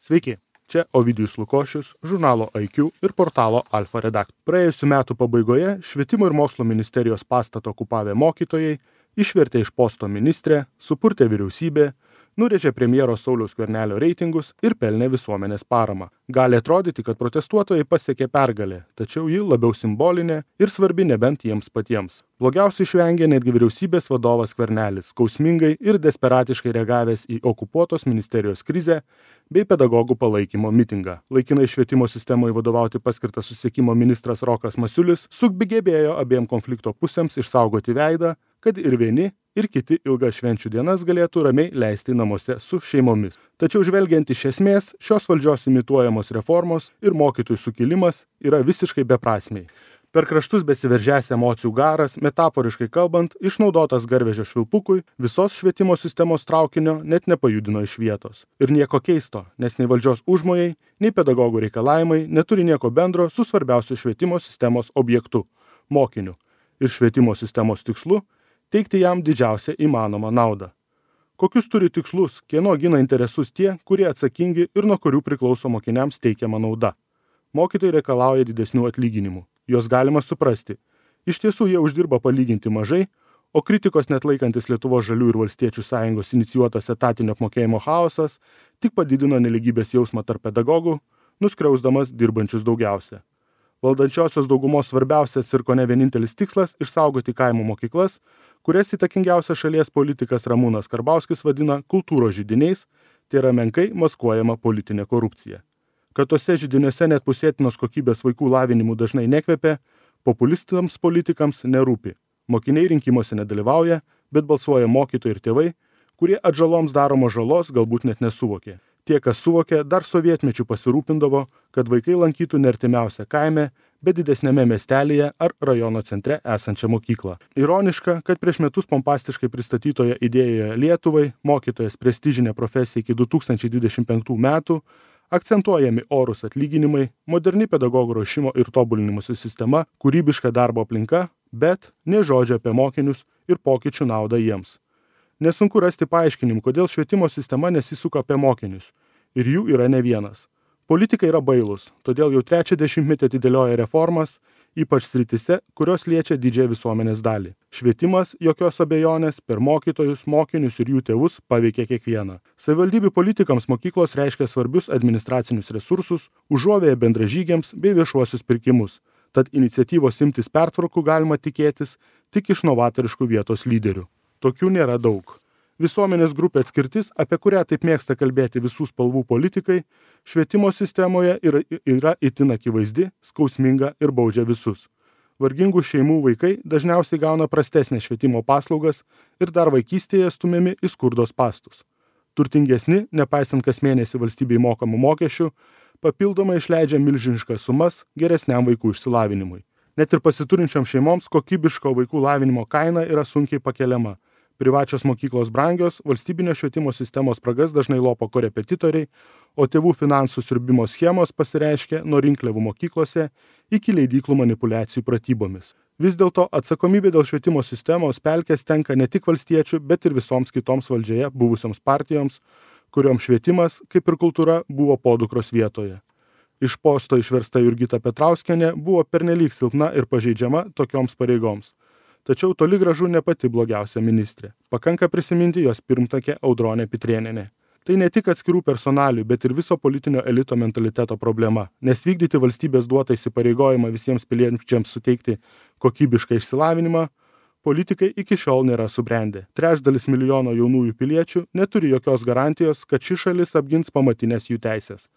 Sveiki, čia Ovidijus Lukošius, žurnalo IQ ir portalo Alfa redaktorius. Praėjusių metų pabaigoje Švietimo ir mokslo ministerijos pastato okupavę mokytojai išvertė iš posto ministrę, supurtė vyriausybė, nurėžė premjero Sauliaus Skvernelio reitingus ir pelnė visuomenės paramą. Gali atrodyti, kad protestuotojai pasiekė pergalę, tačiau ji labiau simbolinė ir svarbi nebent jiems patiems. Blogiausiai išvengė netgi vyriausybės vadovas Skvernelis, skausmingai ir desperatiškai reagavęs į okupuotos ministerijos krizę bei pedagogų palaikymo mitingą. Laikinai švietimo sistemoje vadovauti paskirtas susisiekimo ministras Rokas Masiulis sugebėjo abiem konflikto pusėms išsaugoti veidą, kad ir vieni, ir kiti ilgas švenčių dienas galėtų ramiai leisti namuose su šeimomis. Tačiau žvelgiant iš esmės, šios valdžios imituojamos reformos ir mokytojų sukilimas yra visiškai beprasmiai. Per kraštus besiveržęs emocijų garas, metaforiškai kalbant, išnaudotas garvežio švilpukui, visos švietimo sistemos traukinio net nepajudino iš vietos. Ir nieko keisto, nes nei valdžios užmojai, nei pedagogų reikalavimai neturi nieko bendro su svarbiausiu švietimo sistemos objektu – mokiniu. Ir švietimo sistemos tikslu – teikti jam didžiausią įmanomą naudą. Kokius turi tikslus, kieno gina interesus tie, kurie atsakingi ir nuo kurių priklauso mokiniams teikiama nauda. Mokytojai reikalauja didesnių atlyginimų. Juos galima suprasti. Iš tiesų jie uždirba palyginti mažai, o kritikos net laikantis Lietuvos žalių ir valstiečių sąjungos inicijuotas etatinio apmokėjimo chaosas tik padidino nelygybės jausmą tarp pedagogų, nuskriausdamas dirbančius daugiausia. Valdančiosios daugumos svarbiausias ir kone vienintelis tikslas – išsaugoti kaimo mokyklas, kurias įtakingiausias šalies politikas Ramūnas Karbauskis vadina kultūros židiniais, tai yra menkai maskuojama politinė korupcija. Kad tose židiniuose net pusėtinos kokybės vaikų lavinimų dažnai nekvepia, populistams politikams nerūpi. Mokiniai rinkimuose nedalyvauja, bet balsuoja mokytojai ir tėvai, kurie atžaloms daromos žalos galbūt net nesuvokė. Tie, kas suvokė, dar sovietmečių pasirūpindavo, kad vaikai lankytų ne artimiausią kaime, bet didesnėme miestelėje ar rajono centre esančią mokyklą. Ironiška, kad prieš metus pompastiškai pristatytoje idėjoje Lietuvai, mokytojas prestižinė profesija iki 2025 metų, akcentuojami orūs atlyginimai, moderni pedagogų ruošimo ir tobulinimosi sistema, kūrybiška darbo aplinka, bet nė žodžio apie mokinius ir pokyčių naudą jiems. Nesunku rasti paaiškinimų, kodėl švietimo sistema nesisuka apie mokinius. Ir jų yra ne vienas. Politikai yra bailūs, todėl jau 3 dešimtmetį atidėlioja reformas, ypač srityse, kurios liečia didžiąją visuomenės dalį. Švietimas, jokios abejonės, per mokytojus, mokinius ir jų tėvus paveikia kiekvieną. Savivaldybių politikams mokyklos reiškia svarbius administracinius resursus, užuovėja bendražygiams bei viešuosius pirkimus. Tad iniciatyvos imtis pertvarkų galima tikėtis tik iš novatoriškų vietos lyderių. Tokių nėra daug. Visuomenės grupė atskirtis, apie kurią taip mėgsta kalbėti visų spalvų politikai, švietimo sistemoje yra itin akivaizdi, skausminga ir baudžia visus. Vargingų šeimų vaikai dažniausiai gauna prastesnės švietimo paslaugas ir dar vaikystėje stumiami į skurdo spastus. Turtingesni, nepaisant kas mėnesį valstybei mokamų mokesčių, papildomai išleidžia milžiniškas sumas geresniam vaikų išsilavinimui. Net ir pasiturinčiam šeimoms kokybiško vaikų lavinimo kaina yra sunkiai pakeliama. Privačios mokyklos brangios, valstybinio švietimo sistemos spragas dažnai lopo korepetitoriai, o tėvų finansų siurbimo schemos pasireiškia nuo rinkliavų mokyklose iki leidyklų manipulacijų pratybomis. Vis dėlto atsakomybė dėl švietimo sistemos pelkės tenka ne tik valstiečių, bet ir visoms kitoms valdžioje buvusioms partijoms, kurioms švietimas, kaip ir kultūra, buvo podukros vietoje. Iš posto išversta Jurgita Petrauskienė buvo pernelyg silpna ir pažeidžiama tokioms pareigoms. Tačiau toli gražu ne pati blogiausia ministrė. Pakanka prisiminti jos pirmtakę Audronę Pitrėnienę. Tai ne tik atskirų personalių, bet ir viso politinio elito mentaliteto problema, nes vykdyti valstybės duotą įsipareigojimą visiems piliečiams suteikti kokybišką išsilavinimą, politikai iki šiol nėra subrendę. 3/3 milijono jaunųjų piliečių neturi jokios garantijos, kad ši šalis apgins pamatinės jų teisės.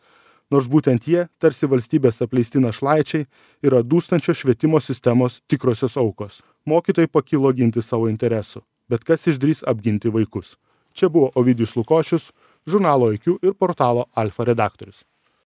Nors būtent jie, tarsi valstybės apleisti našlaičiai, yra dūstančios švietimo sistemos tikrosios aukos. Mokytojai pakilo ginti savo interesų, bet kas išdrįs apginti vaikus. Čia buvo Ovidijus Lukošius, žurnalo IQ ir portalo Alfa redaktorius.